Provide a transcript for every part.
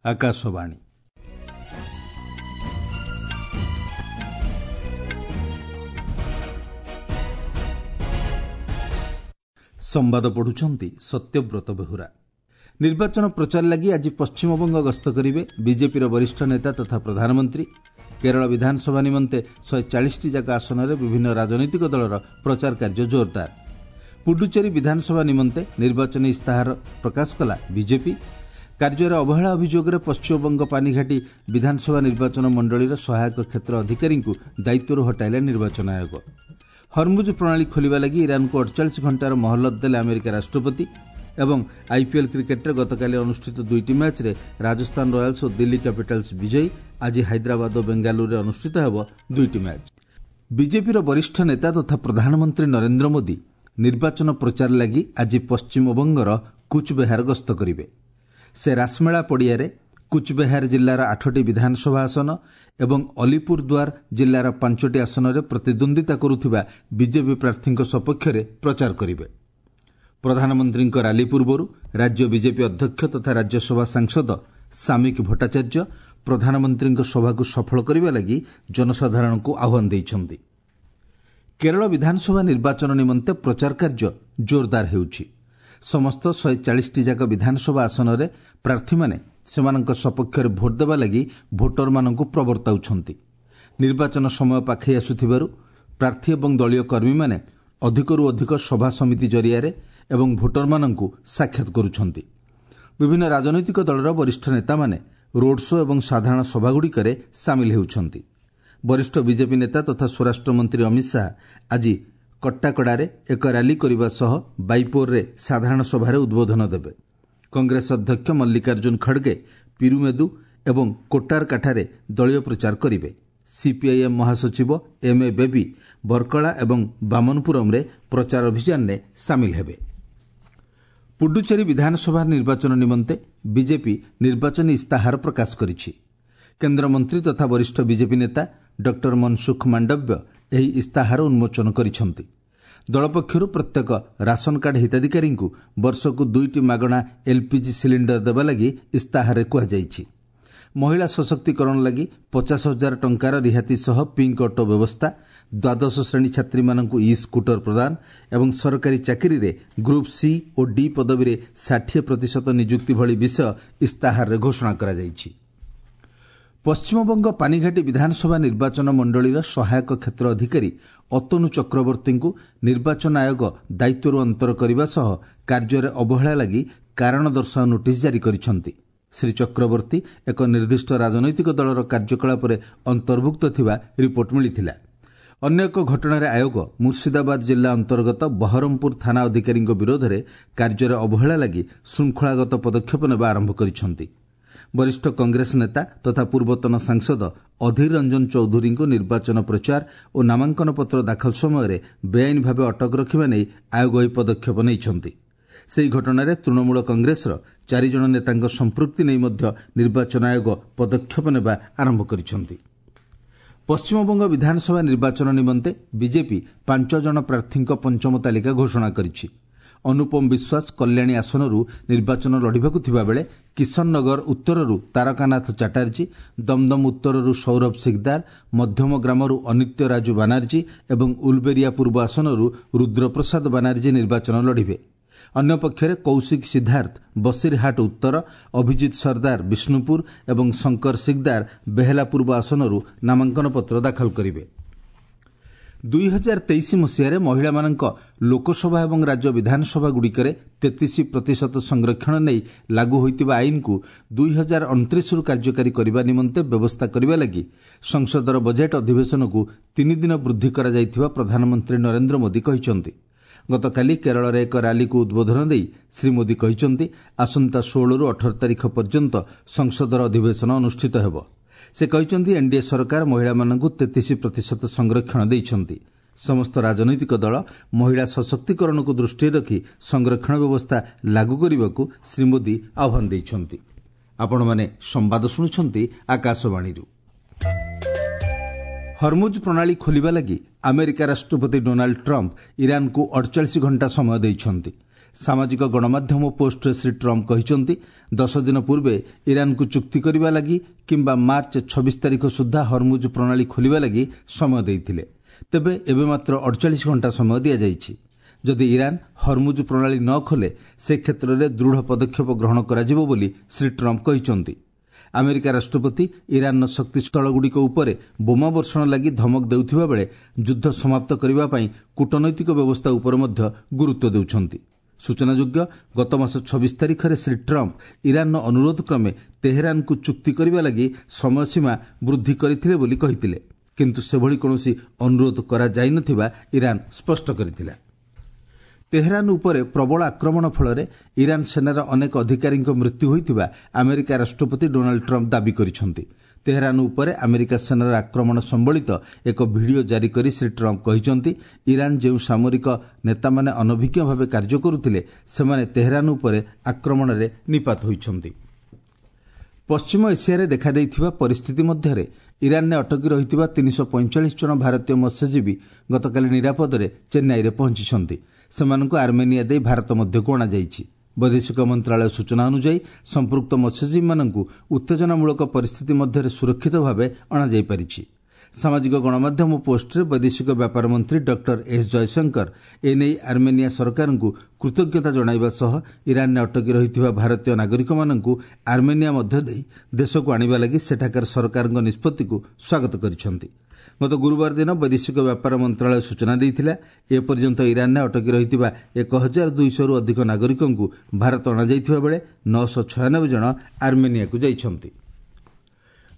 ଆକାଶବାଣୀ। ସମ୍ବାଦ ପଢୁଛନ୍ତି ସତ୍ୟବ୍ରତ ବେହୁରା। ନିର୍ବାଚନ ପ୍ରଚାର ଲାଗି ଆଜି ପଶ୍ଚିମବଙ୍ଗ ଗସ୍ତ କରିବେ ବିଜେପିର ବରିଷ୍ଠ ନେତା ତଥା ପ୍ରଧାନମନ୍ତ୍ରୀ। କେରଳ ବିଧାନସଭା ନିମନ୍ତେ 140ଟି ଯାକ ଆସନରେ ବିଭିନ୍ନ ରାଜନୈତିକ ଦଳର ପ୍ରଚାର କାର୍ଯ୍ୟ ଜୋରଦାର। ପୁଡୁଚେରୀ ବିଧାନସଭା ନିମନ୍ତେ ନିର୍ବାଚନୀ ଇସ୍ତାହାର ପ୍ରକାଶ କଲା ବିଜେପି। କାର୍ଯ୍ୟରେ ଅବହେଳା ଅଭିଯୋଗରେ ପଶ୍ଚିମବଙ୍ଗ ପାନିଘାଟି ବିଧାନସଭା ନିର୍ବାଚନ ମଣ୍ଡଳୀର ସହାୟକ କ୍ଷେତ୍ର ଅଧିକାରୀଙ୍କୁ ଦାୟିତ୍ୱରୁ ହଟାଇଲା ନିର୍ବାଚନ ଆୟୋଗ। ହରମୁଜ ପ୍ରଣାଳୀ ଖୋଲିବା ଲାଗି ଇରାନକୁ 48 ଘଣ୍ଟାର ମହଲତ ଦେଲେ ଆମେରିକା ରାଷ୍ଟ୍ରପତି। ଏବଂ ଆଇପିଏଲ୍ କ୍ରିକେଟ୍ରେ ଗତକାଲି ଅନୁଷ୍ଠିତ ଦୁଇଟି ମ୍ୟାଚ୍ରେ ରାଜସ୍ଥାନ ରୟାଲ୍ସ ଓ ଦିଲ୍ଲୀ କ୍ୟାପିଟାଲ୍ସ ବିଜୟୀ। ଆଜି ହାଇଦ୍ରାବାଦ ଓ ବେଙ୍ଗାଲୁରୁରେ ଅନୁଷ୍ଠିତ ହେବ ଦୁଇଟି ମ୍ୟାଚ୍। ବିଜେପିର ବରିଷ୍ଠ ନେତା ତଥା ପ୍ରଧାନମନ୍ତ୍ରୀ ନରେନ୍ଦ୍ର ମୋଦି ନିର୍ବାଚନ ପ୍ରଚାର ଲାଗି ଆଜି ପଶ୍ଚିମବଙ୍ଗର କୁଚବେହାର ଗସ୍ତ କରିବେ। ସେ ରାସମେଳା ପଡ଼ିଆରେ କୁଚବେହାର ଜିଲ୍ଲାର 8ଟି ବିଧାନସଭା ଆସନ ଏବଂ ଅଲିପୁରଦ୍ୱାର ଜିଲ୍ଲାର 5ଟି ଆସନରେ ପ୍ରତିଦ୍ୱନ୍ଦ୍ୱିତା କରୁଥିବା ବିଜେପି ପ୍ରାର୍ଥୀଙ୍କ ସପକ୍ଷରେ ପ୍ରଚାର କରିବେ। ପ୍ରଧାନମନ୍ତ୍ରୀଙ୍କ ରାଲି ପୂର୍ବରୁ ରାଜ୍ୟ ବିଜେପି ଅଧ୍ୟକ୍ଷ ତଥା ରାଜ୍ୟସଭା ସାଂସଦ ସାମିକ ଭଟ୍ଟାଚାର୍ଯ୍ୟ ପ୍ରଧାନମନ୍ତ୍ରୀଙ୍କ ସଭାକୁ ସଫଳ କରିବା ଲାଗି ଜନସାଧାରଣଙ୍କୁ ଆହ୍ୱାନ ଦେଇଛନ୍ତି। କେରଳ ବିଧାନସଭା ନିର୍ବାଚନ ନିମନ୍ତେ ପ୍ରଚାର କାର୍ଯ୍ୟ ଜୋରଦାର ହେଉଛି। ସମସ୍ତ 140ଟି ଯାକ ବିଧାନସଭା ଆସନରେ ପ୍ରାର୍ଥୀମାନେ ସେମାନଙ୍କ ସପକ୍ଷରେ ଭୋଟ୍ ଦେବା ଲାଗି ଭୋଟରମାନଙ୍କୁ ପ୍ରବର୍ତ୍ତାଉଛନ୍ତି। ନିର୍ବାଚନ ସମୟ ପାଖେଇ ଆସୁଥିବାରୁ ପ୍ରାର୍ଥୀ ଏବଂ ଦଳୀୟ କର୍ମୀମାନେ ଅଧିକରୁ ଅଧିକ ସଭା ସମିତି ଜରିଆରେ ଏବଂ ଭୋଟରମାନଙ୍କୁ ସାକ୍ଷାତ କରୁଛନ୍ତି। ବିଭିନ୍ନ ରାଜନୈତିକ ଦଳର ବରିଷ୍ଠ ନେତାମାନେ ରୋଡ୍ ଶୋ ଏବଂ ସାଧାରଣ ସଭାଗୁଡ଼ିକରେ ସାମିଲ ହେଉଛନ୍ତି। ବରିଷ୍ଠ ବିଜେପି ନେତା ତଥା ସ୍ୱରାଷ୍ଟ୍ରମନ୍ତ୍ରୀ ଅମିତ ଶାହା ଆଜି କଟ୍ଟାକଡ଼ାରେ ଏକ ରାଲି କରିବା ସହ ବାଇପୋରରେ ସାଧାରଣ ସଭାରେ ଉଦ୍ବୋଧନ ଦେବେ। କଂଗ୍ରେସ ଅଧ୍ୟକ୍ଷ ମଲ୍ଲିକାର୍ଜୁନ ଖଡ଼ଗେ ପିରୁମେଦୁ ଏବଂ କୋଟ୍ଟାରକାଠାରେ ଦଳୀୟ ପ୍ରଚାର କରିବେ। ସିପିଆଇଏମ୍ ମହାସଚିବ ଏମ୍ ଏ ବେବି ବର୍କଳା ଏବଂ ବାମନପୁରମ୍ରେ ପ୍ରଚାର ଅଭିଯାନରେ ସାମିଲ ହେବେ। ପୁଡୁଚେରୀ ବିଧାନସଭା ନିର୍ବାଚନ ନିମନ୍ତେ ବିଜେପି ନିର୍ବାଚନୀ ଇସ୍ତାହାର ପ୍ରକାଶ କରିଛି। କେନ୍ଦ୍ରମନ୍ତ୍ରୀ ତଥା ବରିଷ୍ଠ ବିଜେପି ନେତା ଡକ୍ଟର ମନସୁଖ ମାଣ୍ଡବ୍ୟ ଏହି ଇସ୍ତାହାର ଉନ୍ମୋଚନ କରିଛନ୍ତି। ଦଳ ପକ୍ଷରୁ ପ୍ରତ୍ୟେକ ରାସନକାର୍ଡ ହିତାଧିକାରୀଙ୍କୁ ବର୍ଷକୁ 2ଟି ମାଗଣା ଏଲ୍ପିଜି ସିଲିଣ୍ଡର ଦେବା ଲାଗି ଇସ୍ତାହାରରେ କୁହାଯାଇଛି। ମହିଳା ସଶକ୍ତିକରଣ ଲାଗି 50,000 ଟଙ୍କାର ରିହାତି ସହ ପିଙ୍କ ଅଟୋ ବ୍ୟବସ୍ଥା, ଦ୍ୱାଦଶ ଶ୍ରେଣୀ ଛାତ୍ରୀମାନଙ୍କୁ ଇ ସ୍କୁଟର ପ୍ରଦାନ ଏବଂ ସରକାରୀ ଚାକିରିରେ ଗ୍ରୁପ୍ ସି ଓ ଡି ପଦବୀରେ 60% ନିଯୁକ୍ତି ଭଳି ବିଷୟ ଇସ୍ତାହାରରେ ଘୋଷଣା କରାଯାଇଛି। ପଶ୍ଚିମବଙ୍ଗ ପାନିଘାଟି ବିଧାନସଭା ନିର୍ବାଚନ ମଣ୍ଡଳୀର ସହାୟକ କ୍ଷେତ୍ର ଅଧିକାରୀ ଅତନୁ ଚକ୍ରବର୍ତ୍ତୀଙ୍କୁ ନିର୍ବାଚନ ଆୟୋଗ ଦାୟିତ୍ୱରୁ ଅନ୍ତର କରିବା ସହ କାର୍ଯ୍ୟରେ ଅବହେଳା ଲାଗି କାରଣ ଦର୍ଶାଅ ନୋଟିସ୍ ଜାରି କରିଛନ୍ତି। ଶ୍ରୀ ଚକ୍ରବର୍ତ୍ତୀ ଏକ ନିର୍ଦ୍ଦିଷ୍ଟ ରାଜନୈତିକ ଦଳର କାର୍ଯ୍ୟକଳାପରେ ଅନ୍ତର୍ଭୁକ୍ତ ଥିବା ରିପୋର୍ଟ ମିଳିଥିଲା। ଅନ୍ୟ ଏକ ଘଟଣାରେ ଆୟୋଗ ମୁର୍ସିଦାବାଦ ଜିଲ୍ଲା ଅନ୍ତର୍ଗତ ବହରମପୁର ଥାନା ଅଧିକାରୀଙ୍କ ବିରୋଧରେ କାର୍ଯ୍ୟରେ ଅବହେଳା ଲାଗି ଶୃଙ୍ଖଳାଗତ ପଦକ୍ଷେପ ନେବା ଆରମ୍ଭ କରିଛନ୍ତି। ବରିଷ୍ଠ କଂଗ୍ରେସ ନେତା ତଥା ପୂର୍ବତନ ସାଂସଦ ଅଧୀର ରଞ୍ଜନ ଚୌଧୁରୀଙ୍କୁ ନିର୍ବାଚନ ପ୍ରଚାର ଓ ନାମାଙ୍କନପତ୍ର ଦାଖଲ ସମୟରେ ବେଆଇନ ଭାବେ ଅଟକ ରଖିବା ନେଇ ଆୟୋଗ ଏହି ପଦକ୍ଷେପ ନେଇଛନ୍ତି। ସେହି ଘଟଣାରେ ତୃଣମୂଳ କଂଗ୍ରେସର 4 ଜଣ ନେତାଙ୍କ ସମ୍ପୃକ୍ତି ନେଇ ମଧ୍ୟ ନିର୍ବାଚନ ଆୟୋଗ ପଦକ୍ଷେପ ନେବା ଆରମ୍ଭ କରିଛନ୍ତି। ପଶ୍ଚିମବଙ୍ଗ ବିଧାନସଭା ନିର୍ବାଚନ ନିମନ୍ତେ ବିଜେପି 5 ଜଣ ପ୍ରାର୍ଥୀଙ୍କ ପଞ୍ଚମ ତାଲିକା ଘୋଷଣା କରିଛି। ଅନୁପମ ବିଶ୍ୱାସ କଲ୍ୟାଣୀ ଆସନରୁ ନିର୍ବାଚନ ଲଢ଼ିବାକୁ ଥିବାବେଳେ କିଶନନଗର ଉତ୍ତରରୁ ତାରକାନାଥ ଚାଟାର୍ଜୀ, ଦମଦମ ଉତ୍ତରରୁ ସୌରଭ ସିକଦାର, ମଧ୍ୟମ ଗ୍ରାମରୁ ଅନିତ୍ୟ ରାଜୁ ବାନାର୍ଜୀ ଏବଂ ଉଲବେରିଆ ପୂର୍ବ ଆସନରୁ ରୁଦ୍ରପ୍ରସାଦ ବାନାର୍ଜୀ ନିର୍ବାଚନ ଲଢ଼ିବେ। ଅନ୍ୟପକ୍ଷରେ କୌଶିକ ସିଦ୍ଧାର୍ଥ ବସିରହାଟ ଉତ୍ତର, ଅଭିଜିତ ସର୍ଦ୍ଦାର ବିଷ୍ଣୁପୁର ଏବଂ ଶଙ୍କର ସିକଦାର ବେହେଲା ପୂର୍ବ ଆସନରୁ ନାମାଙ୍କନପତ୍ର ଦାଖଲ କରିବେ। 2023 ମସିହାରେ ମହିଳାମାନଙ୍କ ଲୋକସଭା ଏବଂ ରାଜ୍ୟ ବିଧାନସଭାଗୁଡ଼ିକରେ 33% ସଂରକ୍ଷଣ ନେଇ ଲାଗୁ ହୋଇଥିବା ଆଇନକୁ 2029ରୁ କାର୍ଯ୍ୟକାରୀ କରିବା ନିମନ୍ତେ ବ୍ୟବସ୍ଥା କରିବା ଲାଗି ସଂସଦର ବଜେଟ୍ ଅଧିବେଶନକୁ 3 ଦିନ ବୃଦ୍ଧି କରାଯାଇଥିବା ପ୍ରଧାନମନ୍ତ୍ରୀ ନରେନ୍ଦ୍ର ମୋଦି କହିଛନ୍ତି। ଗତକାଲି କେରଳରେ ଏକ ରାଲିକୁ ଉଦ୍ବୋଧନ ଦେଇ ଶ୍ରୀ ମୋଦି କହିଛନ୍ତି, ଆସନ୍ତା 16ରୁ 18 ତାରିଖ ପର୍ଯ୍ୟନ୍ତ ସଂସଦର ଅଧିବେଶନ ଅନୁଷ୍ଠିତ ହେବ। ସେ କହିଛନ୍ତି, ଏନ୍ଡିଏ ସରକାର ମହିଳାମାନଙ୍କୁ 33% ସଂରକ୍ଷଣ ଦେଇଛନ୍ତି। ସମସ୍ତ ରାଜନୈତିକ ଦଳ ମହିଳା ସଶକ୍ତିକରଣକୁ ଦୃଷ୍ଟିରେ ରଖି ସଂରକ୍ଷଣ ବ୍ୟବସ୍ଥା ଲାଗୁ କରିବାକୁ ଶ୍ରୀ ମୋଦି ଆହ୍ୱାନ ଦେଇଛନ୍ତି। ଆପଣମାନେ ସମ୍ବାଦ ଶୁଣୁଛନ୍ତି ଆକାଶବାଣୀରୁ। ହରମୁଜ ପ୍ରଣାଳୀ ଖୋଲିବା ଲାଗି ଆମେରିକା ରାଷ୍ଟ୍ରପତି ଡୋନାଲ୍ଡ ଟ୍ରମ୍ପ ଇରାନକୁ 48 ଘଣ୍ଟା ସମୟ ଦେଇଛନ୍ତି। ସାମାଜିକ ଗଣମାଧ୍ୟମ ପୋଷ୍ଟରେ ଶ୍ରୀ ଟ୍ରମ୍ପ କହିଛନ୍ତି, 10 ଦିନ ପୂର୍ବେ ଇରାନକୁ ଚୁକ୍ତି କରିବା ଲାଗି କିମ୍ବା ମାର୍ଚ୍ଚ 26 ତାରିଖ ସୁଦ୍ଧା ହରମୁଜ ପ୍ରଣାଳୀ ଖୋଲିବା ଲାଗି ସମୟ ଦେଇଥିଲେ। ତେବେ ଏବେ ମାତ୍ର 48 ଘଣ୍ଟା ସମୟ ଦିଆଯାଇଛି। ଯଦି ଇରାନ ହରମୁଜ ପ୍ରଣାଳୀ ନ ଖୋଲେ, ସେ କ୍ଷେତ୍ରରେ ଦୃଢ଼ ପଦକ୍ଷେପ ଗ୍ରହଣ କରାଯିବ ବୋଲି ଶ୍ରୀ ଟ୍ରମ୍ପ କହିଛନ୍ତି। ଆମେରିକା ରାଷ୍ଟ୍ରପତି ଇରାନର ଶକ୍ତିସ୍ଥଳଗୁଡ଼ିକ ଉପରେ ବୋମା ବର୍ଷଣ ଲାଗି ଧମକ ଦେଉଥିବା ବେଳେ ଯୁଦ୍ଧ ସମାପ୍ତ କରିବା ପାଇଁ କୂଟନୈତିକ ବ୍ୟବସ୍ଥା ଉପରେ ମଧ୍ୟ ଗୁରୁତ୍ୱ ଦେଉଛନ୍ତି। ସୂଚନାଯୋଗ୍ୟ, ଗତମାସ 26 ତାରିଖରେ ଶ୍ରୀ ଟ୍ରମ୍ପ ଇରାନର ଅନୁରୋଧ କ୍ରମେ ତେହେରାନକୁ ଚୁକ୍ତି କରିବା ଲାଗି ସମୟସୀମା ବୃଦ୍ଧି କରିଥିଲେ ବୋଲି କହିଥିଲେ। କିନ୍ତୁ ସେଭଳି କୌଣସି ଅନୁରୋଧ କରାଯାଇନଥିବା ଇରାନ ସ୍ପଷ୍ଟ କରିଥିଲା। ତେହେରାନ ଉପରେ ପ୍ରବଳ ଆକ୍ରମଣ ଫଳରେ ଇରାନ ସେନାର ଅନେକ ଅଧିକାରୀଙ୍କ ମୃତ୍ୟୁ ହୋଇଥିବା ଆମେରିକା ରାଷ୍ଟ୍ରପତି ଡୋନାଲ୍ଡ ଟ୍ରମ୍ପ ଦାବି କରିଛନ୍ତି। ତେହେରାନ ଉପରେ ଆମେରିକା ସେନାର ଆକ୍ରମଣ ସମ୍ବଳିତ ଏକ ଭିଡିଓ ଜାରି କରି ଶ୍ରୀ ଟ୍ରମ୍ପ କହିଛନ୍ତି, ଇରାନ ଯେଉଁ ସାମରିକ ନେତାମାନେ ଅନଭିଜ୍ଞ ଭାବେ କାର୍ଯ୍ୟ କରୁଥିଲେ, ସେମାନେ ତେହେରାନ ଉପରେ ଆକ୍ରମଣରେ ନିପାତ ହୋଇଛନ୍ତି। ପଶ୍ଚିମ ଏସିଆରେ ଦେଖାଦେଇଥିବା ପରିସ୍ଥିତି ମଧ୍ୟରେ ଇରାନରେ ଅଟକି ରହିଥିବା 345 ଜଣ ଭାରତୀୟ ମତ୍ସ୍ୟଜୀବୀ ଗତକାଲି ନିରାପଦରେ ଚେନ୍ନାଇରେ ପହଞ୍ଚିଛନ୍ତି। ସେମାନଙ୍କୁ ଆର୍ମେନିଆ ଦେଇ ଭାରତ ମଧ୍ୟକୁ ଅଣାଯାଇଛି। ବୈଦେଶିକ ମନ୍ତ୍ରଣାଳୟ ସୂଚନା ଅନୁଯାୟୀ, ସମ୍ପୃକ୍ତ ମତ୍ସ୍ୟଜୀବୀମାନଙ୍କୁ ଉତ୍ତେଜନାମୂଳକ ପରିସ୍ଥିତି ମଧ୍ୟରେ ସୁରକ୍ଷିତ ଭାବେ ଅଣାଯାଇପାରିଛି। ସାମାଜିକ ଗଣମାଧ୍ୟମ ପୋଷ୍ଟରେ ବୈଦେଶିକ ବ୍ୟାପାର ମନ୍ତ୍ରୀ ଡକ୍ଟର ଏସ୍ ଜୟଶଙ୍କର ଏନେଇ ଆର୍ମେନିଆ ସରକାରଙ୍କୁ କୃତଜ୍ଞତା ଜଣାଇବା ସହ ଇରାନରେ ଅଟକି ରହିଥିବା ଭାରତୀୟ ନାଗରିକମାନଙ୍କୁ ଆର୍ମେନିଆ ମଧ୍ୟ ଦେଇ ଦେଶକୁ ଆଣିବା ଲାଗି ସେଠାକାର ସରକାରଙ୍କ ନିଷ୍ପତ୍ତିକୁ ସ୍ୱାଗତ କରିଛନ୍ତି। ଗତ ଗୁରୁବାର ଦିନ ବୈଦେଶିକ ବ୍ୟାପାର ମନ୍ତ୍ରଣାଳୟ ସୂଚନା ଦେଇଥିଲା, ଏପର୍ଯ୍ୟନ୍ତ ଇରାନରେ ଅଟକି ରହିଥିବା 1200ରୁ ଅଧିକ ନାଗରିକଙ୍କୁ ଭାରତ ଅଣାଯାଇଥିବା ବେଳେ 996 ଜଣ ଆର୍ମେନିଆକୁ ଯାଇଛନ୍ତି।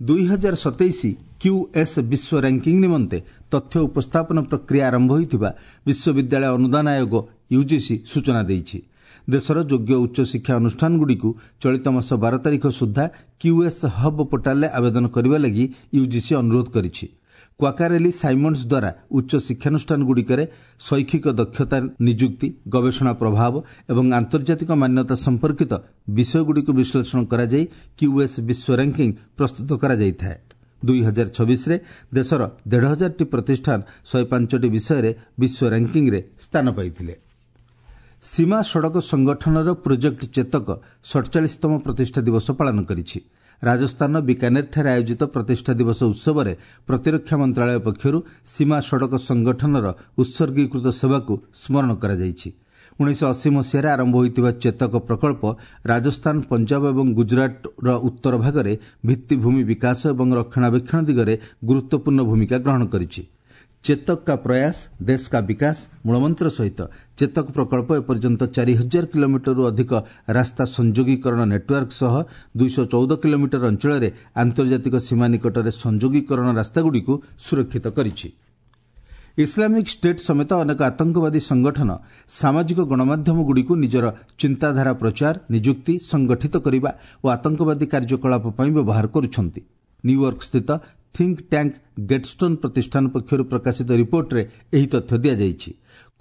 2027 କ୍ୟୁଏସ୍ ବିଶ୍ୱ ର୍ୟାଙ୍କିଂ ନିମନ୍ତେ ତଥ୍ୟ ଉପସ୍ଥାପନ ପ୍ରକ୍ରିୟା ଆରମ୍ଭ ହୋଇଥିବା ବିଶ୍ୱବିଦ୍ୟାଳୟ ଅନୁଦାନ ଆୟୋଗ ୟୁଜିସି ସୂଚନା ଦେଇଛି। ଦେଶର ଯୋଗ୍ୟ ଉଚ୍ଚଶିକ୍ଷା ଅନୁଷ୍ଠାନଗୁଡ଼ିକୁ ଚଳିତ ମାସ 12 ତାରିଖ ସୁଦ୍ଧା କ୍ୟୁଏସ୍ ହବ୍ ପୋର୍ଟାଲରେ ଆବେଦନ କରିବା ଲାଗି ୟୁଜିସି ଅନୁରୋଧ କରିଛି। କ୍ୱାକାରେଲି ସାଇମଣ୍ଡସ୍ ଦ୍ୱାରା ଉଚ୍ଚ ଶିକ୍ଷାନୁଷ୍ଠାନଗୁଡ଼ିକରେ ଶୈକ୍ଷିକ ଦକ୍ଷତା, ନିଯୁକ୍ତି, ଗବେଷଣା ପ୍ରଭାବ ଏବଂ ଆନ୍ତର୍ଜାତିକ ମାନ୍ୟତା ସମ୍ପର୍କିତ ବିଷୟଗୁଡ଼ିକୁ ବିଶ୍ଳେଷଣ କରାଯାଇ କ୍ୟୁଏସ୍ ବିଶ୍ୱ ର୍ୟାଙ୍କିଂ ପ୍ରସ୍ତୁତ କରାଯାଇଥାଏ। 2026ରେ ଦେଶର 1500ଟି ପ୍ରତିଷ୍ଠାନ 105ଟି ବିଷୟରେ ବିଶ୍ୱ ର୍ୟାଙ୍କିଂରେ ସ୍ଥାନ ପାଇଥିଲେ। ସୀମା ସଡ଼କ ସଂଗଠନର ପ୍ରୋଜେକ୍ଟ ଚେତକ 47ତମ ପ୍ରତିଷ୍ଠା ଦିବସ ପାଳନ କରିଛି। ରାଜସ୍ଥାନର ବିକାନେରଠାରେ ଆୟୋଜିତ ପ୍ରତିଷ୍ଠା ଦିବସ ଉତ୍ସବରେ ପ୍ରତିରକ୍ଷା ମନ୍ତ୍ରଣାଳୟ ପକ୍ଷରୁ ସୀମା ସଡ଼କ ସଂଗଠନର ଉତ୍ସର୍ଗୀକୃତ ସେବାକୁ ସ୍ମରଣ କରାଯାଇଛି। 1980 ମସିହାରେ ଆରମ୍ଭ ହୋଇଥିବା ଚେତକ ପ୍ରକଳ୍ପ ରାଜସ୍ଥାନ, ପଞ୍ଜାବ ଏବଂ ଗୁଜରାଟର ଉତ୍ତର ଭାଗରେ ଭିତ୍ତିଭୂମି ବିକାଶ ଏବଂ ରକ୍ଷଣାବେକ୍ଷଣ ଦିଗରେ ଗୁରୁତ୍ୱପୂର୍ଣ୍ଣ ଭୂମିକା ଗ୍ରହଣ କରିଛି। ଚେତକ କା ପ୍ରୟାସ ଦେଶ କା ବିକାଶ ମୂଳମନ୍ତ୍ର ସହିତ ଚେତକ ପ୍ରକଳ୍ପ ଏପର୍ଯ୍ୟନ୍ତ 4000 କିଲୋମିଟରରୁ ଅଧିକ ରାସ୍ତା ସଂଯୋଗୀକରଣ ନେଟୱାର୍କ ସହ 214 କିଲୋମିଟର ଅଞ୍ଚଳରେ ଆନ୍ତର୍ଜାତିକ ସୀମା ନିକଟରେ ସଂଯୋଗୀକରଣ ରାସ୍ତାଗୁଡ଼ିକୁ ସୁରକ୍ଷିତ କରିଛି। ଇସଲାମିକ୍ ଷ୍ଟେଟ୍ ସମେତ ଅନେକ ଆତଙ୍କବାଦୀ ସଂଗଠନ ସାମାଜିକ ଗଣମାଧ୍ୟମଗୁଡ଼ିକୁ ନିଜର ଚିନ୍ତାଧାରା ପ୍ରଚାର, ନିଯୁକ୍ତି, ସଂଗଠିତ କରିବା ଓ ଆତଙ୍କବାଦୀ କାର୍ଯ୍ୟକଳାପ ପାଇଁ ବ୍ୟବହାର କରୁଛନ୍ତି। ନ୍ୟୁୟର୍କ ସ୍ଥିତ ଥିଙ୍କ ଟ୍ୟାଙ୍କ ଗେଟ୍ଷ୍ଟୋନ୍ ପ୍ରତିଷ୍ଠାନ ପକ୍ଷରୁ ପ୍ରକାଶିତ ରିପୋର୍ଟରେ ଏହି ତଥ୍ୟ ଦିଆଯାଇଛି।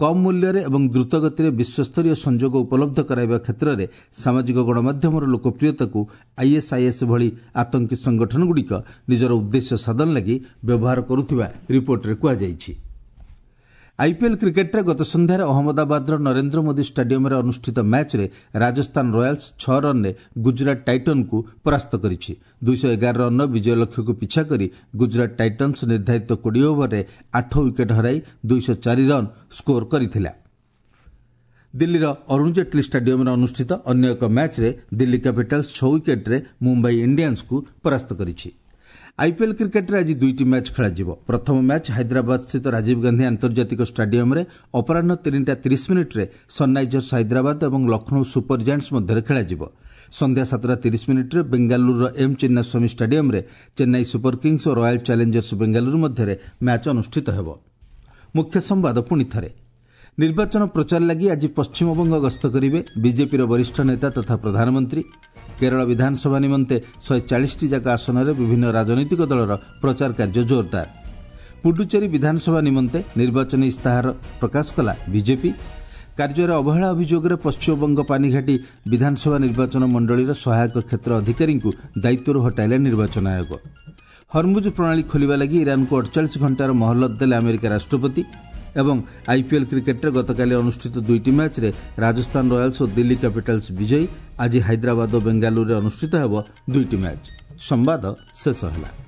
କମ୍ ମୂଲ୍ୟରେ ଏବଂ ଦ୍ରୁତଗତିରେ ବିଶ୍ୱସ୍ତରୀୟ ସଂଯୋଗ ଉପଲବ୍ଧ କରାଇବା କ୍ଷେତ୍ରରେ ସାମାଜିକ ଗଣମାଧ୍ୟମର ଲୋକପ୍ରିୟତାକୁ ଆଇଏସ୍ଆଇଏସ୍ ଭଳି ଆତଙ୍କୀ ସଂଗଠନଗୁଡ଼ିକ ନିଜର ଉଦ୍ଦେଶ୍ୟ ସାଧନ ଲାଗି ବ୍ୟବହାର କରୁଥିବା ରିପୋର୍ଟରେ କୁହାଯାଇଛି। ଆଇପିଏଲ୍ କ୍ରିକେଟ୍ରେ ଗତ ସନ୍ଧ୍ୟାରେ ଅହମ୍ମଦାବାଦର ନରେନ୍ଦ୍ର ମୋଦି ଷ୍ଟାଡିୟମରେ ଅନୁଷ୍ଠିତ ମ୍ୟାଚ୍ରେ ରାଜସ୍ଥାନ ରୟାଲ୍ସ 6 ରନ୍ରେ ଗୁଜରାଟ ଟାଇଟନ୍କୁ ପରାସ୍ତ କରିଛି। 211 ରନ୍ର ବିଜୟ ଲକ୍ଷ୍ୟକୁ ପିଛା କରି ଗୁଜରାଟ ଟାଇଟନ୍ସ ନିର୍ଦ୍ଧାରିତ 20 ଓଭରରେ 8 ୱିକେଟ୍ ହରାଇ 204 ରନ୍ ସ୍କୋର କରିଥିଲା। ଦିଲ୍ଲୀର ଅରୁଣ ଜେଟ୍ଲୀ ଷ୍ଟାଡିୟମରେ ଅନୁଷ୍ଠିତ ଅନ୍ୟ ଏକ ମ୍ୟାଚ୍ରେ ଦିଲ୍ଲୀ କ୍ୟାପିଟାଲ୍ସ 6 ୱିକେଟ୍ରେ ମୁମ୍ବାଇ ଇଣ୍ଡିଆନ୍ସକୁ ପରାସ୍ତ କରିଛି। ଆଇପିଏଲ୍ କ୍ରିକେଟ୍ରେ ଆଜି ଦୁଇଟି ମ୍ୟାଚ୍ ଖେଳାଯିବ। ପ୍ରଥମ ମ୍ୟାଚ୍ ହାଇଦ୍ରାବାଦସ୍ଥିତ ରାଜୀବ ଗାନ୍ଧୀ ଆନ୍ତର୍ଜାତିକ ଷ୍ଟାଡିୟମରେ ଅପରାହ୍ନ 3ଟା 30 ମିନିଟ୍ରେ ସନ୍ରାଇଜର୍ସ ହାଇଦ୍ରାବାଦ ଏବଂ ଲକ୍ଷ୍ନୌ ସୁପର ଜାଏଣ୍ଟସ୍ ମଧ୍ୟରେ ଖେଳାଯିବ। ସନ୍ଧ୍ୟା 7ଟା 30 ମିନିଟ୍ରେ ବେଙ୍ଗାଲୁରୁର ଏମ୍ ଚିନ୍ନାସ୍ୱାମୀ ଷ୍ଟାଡିୟମରେ ଚେନ୍ନାଇ ସୁପର କିଙ୍ଗସ୍ ଓ ରୟାଲ୍ ଚ୍ୟାଲେଞ୍ଜର୍ସ ବେଙ୍ଗାଲୁରୁ ମଧ୍ୟରେ ମ୍ୟାଚ୍ ଅନୁଷ୍ଠିତ ହେବ। ମୁଖ୍ୟ ସମ୍ବାଦ ପୁଣି ଥରେ। ନିର୍ବାଚନ ପ୍ରଚାର ଲାଗି ଆଜି ପଶ୍ଚିମବଙ୍ଗ ଗସ୍ତ କରିବେ ବିଜେପିର ବରିଷ୍ଠ ନେତା ତଥା ପ୍ରଧାନମନ୍ତ୍ରୀ। କେରଳ ବିଧାନସଭା ନିମନ୍ତେ 140ଟି ଯାକ ଆସନରେ ବିଭିନ୍ନ ରାଜନୈତିକ ଦଳର ପ୍ରଚାର କାର୍ଯ୍ୟ ଜୋରଦାର। ପୁଡୁଚେରୀ ବିଧାନସଭା ନିମନ୍ତେ ନିର୍ବାଚନୀ ଇସ୍ତାହାର ପ୍ରକାଶ କଲା ବିଜେପି। କାର୍ଯ୍ୟରେ ଅବହେଳା ଅଭିଯୋଗରେ ପଶ୍ଚିମବଙ୍ଗ ପାନିଘାଟି ବିଧାନସଭା ନିର୍ବାଚନ ମଣ୍ଡଳୀର ସହାୟକ କ୍ଷେତ୍ର ଅଧିକାରୀଙ୍କୁ ଦାୟିତ୍ୱରୁ ହଟାଇଲେ ନିର୍ବାଚନ ଆୟୋଗ। ହରମୁଜ ପ୍ରଣାଳୀ ଖୋଲିବା ଲାଗି ଇରାନକୁ 48 ଘଣ୍ଟାର ମହଲତ ଦେଲେ ଆମେରିକା ରାଷ୍ଟ୍ରପତି। ଏବଂ ଆଇପିଏଲ୍ କ୍ରିକେଟ୍ରେ ଗତକାଲି ଅନୁଷ୍ଠିତ ଦୁଇଟି ମ୍ୟାଚ୍ରେ ରାଜସ୍ଥାନ ରୟାଲ୍ସ ଓ ଦିଲ୍ଲୀ କ୍ୟାପିଟାଲ୍ସ ବିଜୟୀ। ଆଜି ହାଇଦ୍ରାବାଦ ଓ ବେଙ୍ଗାଲୁରୁରେ ଅନୁଷ୍ଠିତ ହେବ ଦୁଇଟି ମ୍ୟାଚ୍। ସମ୍ବାଦ ଶେଷ ହେଲା।